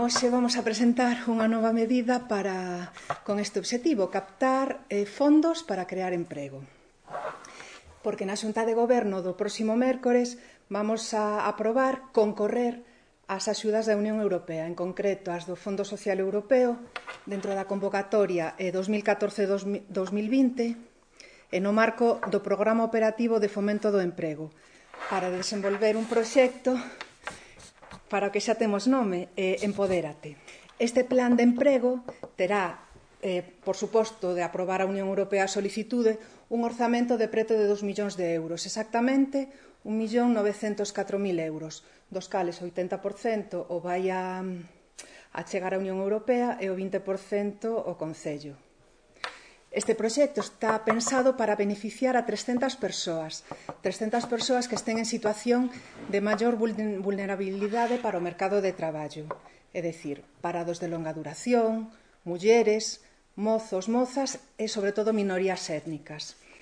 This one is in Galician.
Hoxe vamos a presentar unha nova medida con este obxectivo, captar fondos para crear emprego. Porque na Xunta de Goberno do próximo mércores vamos a aprobar concorrer ás axudas da Unión Europea, en concreto as do Fondo Social Europeo, dentro da convocatoria 2014-2020 e no marco do Programa Operativo de Fomento do Emprego, para desenvolver un proxecto para o que xa temos nome, Empodérate. Este plan de emprego terá, por suposto, de aprobar a Unión Europea a solicitude, un orzamento de preto de 2 millóns de euros, exactamente 1.904.000 euros, dos cales o 80% o vai a chegar á Unión Europea e o 20% o Concello. Este proxecto está pensado para beneficiar a 300 persoas que estén en situación de maior vulnerabilidade para o mercado de traballo, é dicir, parados de longa duración, mulleres, mozos, mozas e, sobre todo, minorías étnicas.